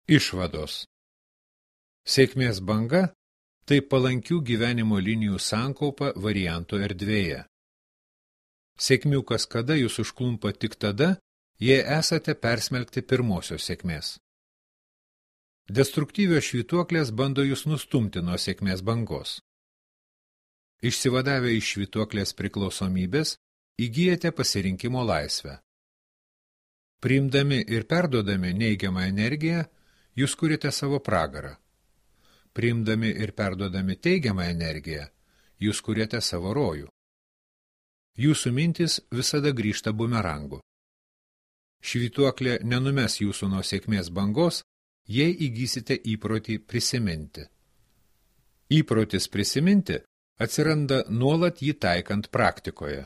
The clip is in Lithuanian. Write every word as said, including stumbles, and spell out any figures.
Išvados. Sėkmės banga – tai palankių gyvenimo linijų sankaupa variantų erdvėje. Sėkmių kaskada jūs užklumpa tik tada, jei esate persmelkti pirmosios sėkmės. Destruktyvios švytuoklės bando jūs nustumti nuo sėkmės bangos. Išsivadavę iš švytuoklės priklausomybės, įgyjate pasirinkimo laisvę. Priimdami ir perduodami neigiamą energiją, jūs kuriate savo pragarą. Priimdami ir perduodami teigiamą energiją, jūs kuriate savo rojų. Jūsų mintis visada grįžta bumerangu. Švytuoklė nenumes jūsų nuo sėkmės bangos, jei įgysite įprotį prisiminti. Įprotis prisiminti atsiranda nuolat jį taikant praktikoje.